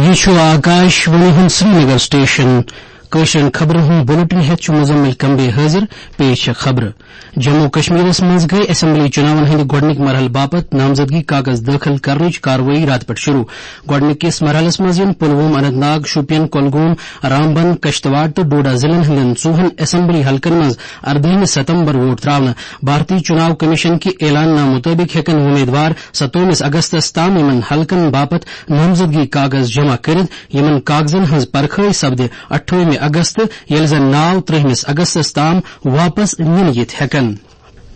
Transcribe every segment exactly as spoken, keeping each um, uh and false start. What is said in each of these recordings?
یہِ چھُ آکاش وانی ہُنٛد سرینگر سٹیشن۔ کٲشرٮ۪ن خبرن ہُنٛد بلیٹن ہٮ۪تھ چھُ مزمل کمبے حٲضِر۔ پیش چھےٚ خبرٕ۔ جموں کشمیرس منٛز گٔے اسمبلی چُناون ہٕنٛدِ گۄڈٕنِکۍ مرحلہٕ باپتھ نامزدگی کاغذ دٲخل کرنٕچ کاروٲیی راتہٕ پٮ۪ٹھ شروع۔ گۄڈٕنِکِس مرحلس منٛز یِن پلووم، اننت ناگ، شوپین، کۄلگوم، رامبن، کشتواڑ تہٕ ڈوڈا ضلعن ہٕنٛدٮ۪ن ژوٚوُہن اسمبلی حلقن منٛز اردٲہمہِ ستمبر ووٹ تراونہٕ۔ بھارتی چُناو کمیشن کہِ اعلان نامہٕ مُطٲبِق ہٮ۪کن وۄمیدوار ستووُہمِس اگستس تام یِمن حلقن باپتھ نامزدگی کاغذ جمع کٔرِتھ، یِمن کاغذن ہٕنٛز پرکھٲے سپدِ اٹھووُہمہِ اگست، ییٚلہِ زن ناو ترٛہمِس اگستس تام واپس نِنہٕ یِتھ ہٮ۪کن۔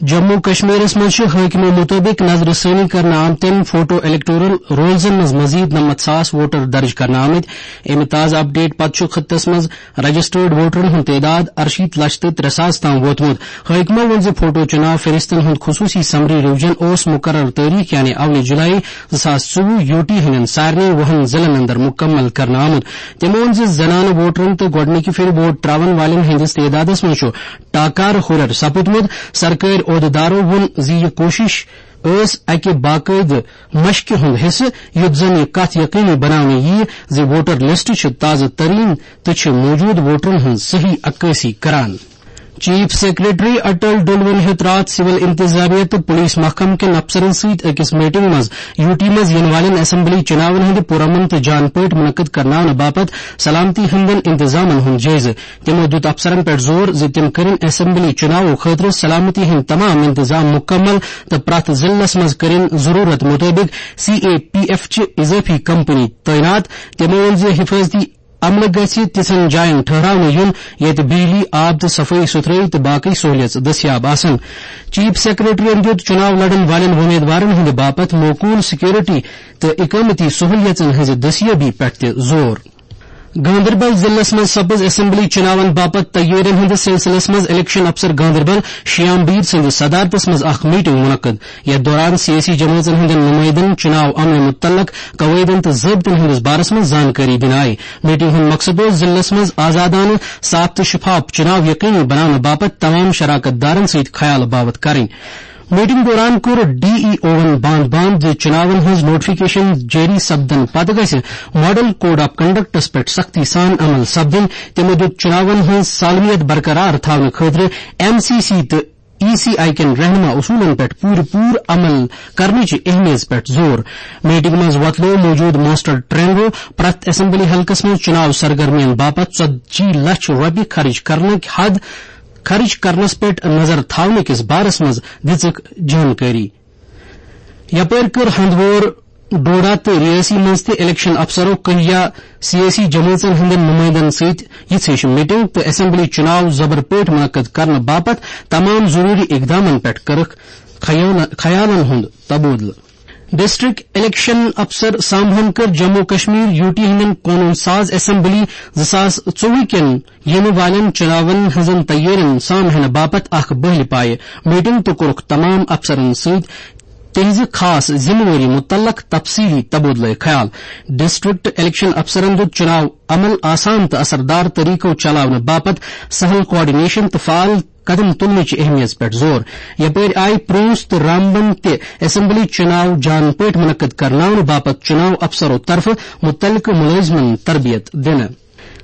جموں کشمیرس منٛز چھِ حٲکمو مُطٲبِق نظرِ ثٲنی کرنہٕ آمتٮ۪ن فوٹو الیکٹورل رولزن منٛز مزید نَمَتھ ساس ووٹر درج کرنہٕ آمٕتۍ۔ اَمہِ تازٕ اپڈیٹ پتہٕ چھُ خطس منٛز رجسٹرڈ ووٹرن ہُنٛد تعداد اَرشیٖتھ لچھ تہٕ ترٛےٚ ساس تام ووتمُت۔ حٲکمو ووٚن زِ فوٹو چُناو فہرستن ہُنٛد خصوٗصی سمری ریویژن اوس مُقرر تٲریخ یعنی اَولہِ جُلای زٕ ساس ژوٚوُہ یوٗ ٹی ہٕنٛدٮ۪ن سارنٕے وُہن ضلعن اندر مُکمل کرنہٕ آمُت۔ تٔمۍ ووٚن زِ زنانہٕ ووٹرن تہٕ گۄڈٕنِکہِ پھِرِ ووٹ ترٛاوَن والٮ۪ن ہٕنٛدِس تعدادَس منٛز چھُ ٹاکار ہُرٮ۪ر سپُدمُت۔ سرکٲرۍ عہدٕدارو ووٚن زِ یہِ کوٗشِش ٲس اَکہِ باقٲعدٕ مشقہِ ہُنٛد حصہٕ، یُتھ زَن یہِ کَتھ یقینی بناونہٕ یِیہِ زِ ووٹر لسٹ چھِ تازٕ تریٖن تہٕ چھِ موٗجوٗد ووٹرَن ہٕنٛز صحیح عکٲسی کران۔ چیف سیکرٹری اٹل ڈلوَن ہیوٚت راتھ سول انتظامیہ تہٕ پولیس محکمہٕ کٮ۪ن افسرَن سۭتۍ أکِس میٹنگ منٛز یوٗ ٹی منٛز یِنہٕ والٮ۪ن اسمبلی چُناون ہٕنٛدِ پُرامن تہٕ جان پٲٹھۍ منعقد کرناونہٕ باپتھ سلامتی ہٕنٛدٮ۪ن انتظامن ہُنٛد جٲیزٕ۔ تِمو دیُت افسرن پٮ۪ٹھ زور زِ تِم کٔرِن اسمبلی چُناوو خٲطرٕ سلامتی ہٕنٛدۍ تمام انتظام مُکمل تہٕ پرٛٮ۪تھ ضلعس منٛز کٔرِن ضروٗرت مُطٲبِق سی اے پی ایف چہِ اضٲفی کمپنی تعینات۔ تِمو ووٚن زِ حفاظتی عملہٕ گژھِ تِژھن جاین ٹھہراونہٕ یُن، ییٚتہِ بجلی، آب تہٕ صفٲیی ستھرٲیی تہٕ باقٕے سہولیژٕ دٔستیاب آسن۔ چیف سیکرٹریَن دیُت چُناو لڑن والٮ۪ن وۄمیدوارن ہٕنٛدِ باپتھ موقوٗل سیکورٹی تہٕ اقامتی سہولیژن ہٕنٛزِ دٔستیٲبی پٮ۪ٹھ تہِ زور۔ گاندربل ضلعس منٛز سپٕز اسمبلی چُناون باپتھ تیٲرین ہٕنٛدِس سلسلس منٛز الیکشن افسر گاندربل شیام بیر سٕنٛدِس صدارتس منٛز اکھ میٹنگ منعقد۔ یتھ دوران سیٲسی جمٲژن ہٕنٛدٮ۪ن نُمٲیندن چُناو عملہِ مُتعلق قواعدن تہٕ ضٲبطن ہٕنٛدِس بارس منٛز زانکٲری دِنہٕ آیہِ۔ میٹنگ ہُنٛد مقصد اوس ضلعس منٛز آزادانہٕ، صاف تہٕ شفاف چُناو یقینی بناونہٕ باپتھ تمام شراکت دارن سۭتۍ خیال باوتھ کرٕنۍ۔ میٹنگ دوران کوٚر ڈی ای اوون باند باند زِ چُناون ہٕنٛز نوٹیفکیشن جٲری سپدنہٕ پتہٕ گژھِ ماڈل کوڈ آف کنڈکٹس پٮ۪ٹھ سختی سان عمل سپدٕنۍ۔ تِمو دیُت چُناون ہٕنٛز سالمیت برقرار تھاونہٕ خٲطرٕ ایم سی سی تہٕ ای سی آئی کٮ۪ن رہنما اصوٗلن پٮ۪ٹھ پوٗرٕ پوٗرٕ عمل کرنٕچ اہمیت پٮ۪ٹھ زور۔ میٹنگ منٛز وۄتلوو موجود ماسٹر ٹرینرو پرٛٮ۪تھ اسمبلی حلقس منٛز چُناو سرگرمین باپتھ ژتجی لچھ رۄپیہِ خرٕچ کرنٕکۍ حد خرٕچ کرنس پٮ۪ٹھ نظر تھاونہٕ کِس بارس منٛز دِژٕکھ جانکٲری۔ یپٲرۍ کٔر ہندوور، ڈوڈا تہٕ ریاسی منٛز تہِ الیکشن افسرو کٔہیا سیٲسی جمٲژن ہٕنٛدٮ۪ن نُمٲیندن سۭتۍ یِژھ ہِش میٹنگ تہٕ اسمبلی چُناو زبر پٲٹھۍ منعقد کرنہٕ باپتھ تمام ضروٗری اقدامن پٮ۪ٹھ کٔرٕکھ خیال-، خیالن ہُنٛد تبادلہٕ۔ ڈسٹرکٹ الیکشن افسر سامبہن کٔر جموں کشمیر یوٗ ٹی ہٕنٛدٮ۪ن قونوٗن ساز اسمبلی زٕ ساس ژوٚوُہ کٮ۪ن یِنہٕ والٮ۪ن چُناون ہٕنٛزن تیٲرین سام ہینہٕ باپتھ اکھ بٲہلہِ پایہِ میٹنگ تہٕ کوٚرُکھ تمام افسرن سۭتۍ تِہنٛزِ خاص ذمہٕ وٲری مُتعلق تفصیٖلی تبادلہٕ خیال۔ ڈسٹرکٹ الیکشن افسرن دیُت چُناو عمل آسان تہٕ اثردار طریقو چلاونہٕ باپتھ سہل کوآرڈینیشن تہٕ فعال قدم تُلنٕچ اہمیت پٮ۪ٹھ زور۔ یپٲرۍ آیہِ پرونس تہٕ رامبن تہِ اسمبلی چُناو جان پٲٹھۍ منعقد کرناونہٕ باپتھ چُناو افسرو طرفہٕ مُتعلقہٕ مُلٲزمن تربیت دِنہٕ۔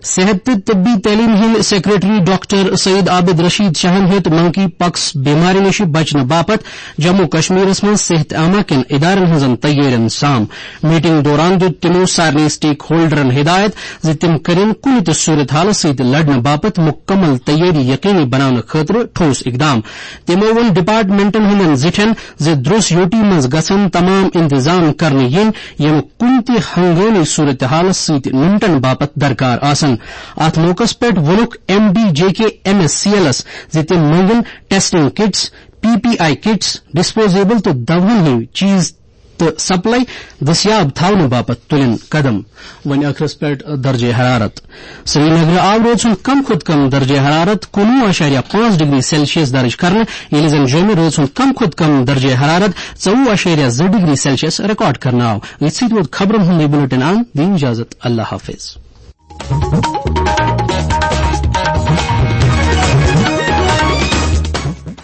صحت تہٕ طبی تعلیٖم ہٕنٛدۍ سیکرٹری ڈاکٹر سعید عابد رشید شاہن ہیوٚت منکی پاکس بیمارِ نِش بچنہٕ باپتھ جموں کشمیرس منٛز صحت عامہ کٮ۪ن ادارن ہٕنٛزن تیٲرین سام۔ میٹنگ دوران دیُت تِمو سارنٕے سٹیک ہولڈرن ہدایت زِ تِم کرن کُنہِ تہِ صورت حالس سۭتۍ لڑنہٕ باپتھ مکمل تیٲری یقینی بناونہٕ خٲطرٕ ٹھوس اقدام۔ تِمو ووٚن ڈپارٹمنٹن ہٕنٛدٮ۪ن زِٹھٮ۪ن زِ درٛوس یوٗ ٹی منٛز گژھن تمام انتظام کرنہٕ یِنۍ، یِم کُنہِ تہِ ہنگٲمی صورتحالس سۭتۍ نمٹن باپتھ درکار آسن۔ اتھ موقعس پٮ۪ٹھ ووٚنُکھ M D J K M S C ایلس زِ تِم منگن testing kits, P P E kits, disposable تہٕ دواہن ہٕنٛدۍ چیز تہٕ سپلائی دٔستیاب تھاونہٕ باپتھ تُلن قدم۔ وۄنۍ ٲخرس پٮ۪ٹھ درجہ حرارت۔ سرینگرٕ آو رٲژ ہُنٛد کم کھۄتہٕ کم درجہ حرارت کُنوُہ اعشاریہ پانٛژھ ڈگری سیلسیس درج کرنہٕ، ییٚلہِ زن جوٚمہِ رٲژ ہُنٛد کم کھۄتہٕ کم درجہ حرارت ژوٚوُہ اعشاریہ زٕ ڈگری سیلسیس ریکارڈ کرنہٕ آو۔ أتھۍ سۭتۍ ووت خبرن ہُنٛد یہِ بُلٹن اند۔ دِیِو اجازت، اللہ حافظ۔